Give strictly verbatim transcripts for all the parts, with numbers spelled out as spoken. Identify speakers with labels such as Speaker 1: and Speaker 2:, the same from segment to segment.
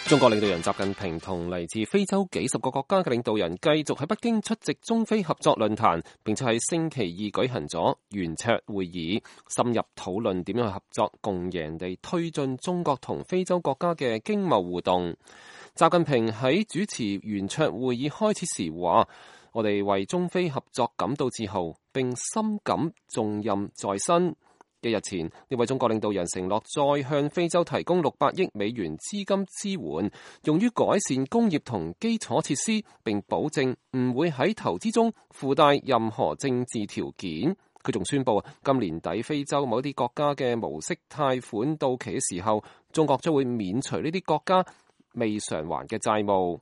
Speaker 1: 中國領導人習近平同嚟自非洲幾十個國家嘅領導人繼續喺北京出席中非合作論壇，並且喺星期二舉行咗圓桌會議，深入討論點樣去合作共贏地推進中國同非洲國家嘅經貿互動。習近平喺主持圓桌會議開始時話：我哋為中非合作感到自豪，並深感重任在身。一日前，呢位中國領導人承諾再向非洲提供六百億美元資金支援，用於改善工業同基礎設施，並保證唔會喺投資中附帶任何政治條件。佢仲宣布，今年底非洲某啲國家嘅無息貸款到期嘅時候，中國將會免除呢啲國家未償還嘅債務。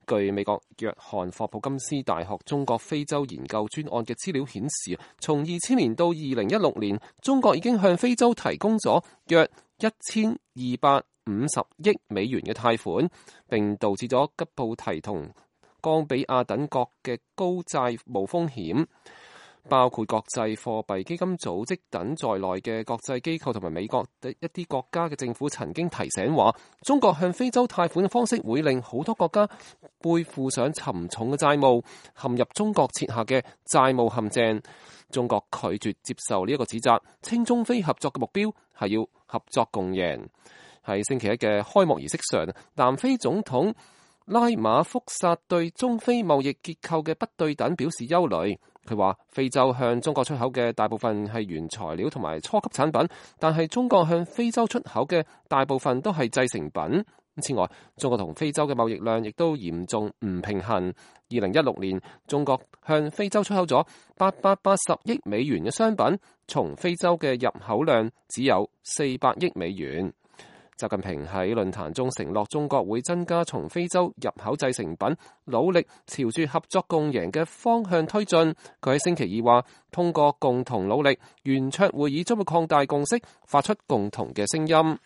Speaker 1: 據美國約翰霍普金斯大學中國非洲研究專案嘅資料顯示，從二千年到二零一六年，中國已經向非洲提供咗約一千二百五十億美元嘅貸款，並導致咗吉布提同岡比亞等國嘅高債務風險。包括國際貨幣基金組織等在內嘅國際機構同埋美國的一啲國家嘅政府曾經提醒話，中國向非洲貸款嘅方式會令好多國家背負上沉重嘅債務，陷入中國設下嘅債務陷阱。中國拒絕接受呢一個指責，稱中非合作嘅目標係要合作共贏。喺星期一嘅開幕儀式上，南非總統拉馬福薩對中非貿易結構嘅不對等表示憂慮。佢話非洲向中國出口嘅大部分係原材料同埋初級產品，但係中國向非洲出口嘅大部分都係製成品。此外，中國同非洲嘅貿易量亦都嚴重唔平衡。二零一六年，中國向非洲出口咗八百八十億美元嘅商品，從非洲嘅入口量只有四百億美元。習近平喺論壇中承諾，中國會增加從非洲入口製成品，努力朝住合作共贏嘅方向推進。佢喺星期二話，通過共同努力，圓桌會議將會擴大共識，發出共同嘅聲音。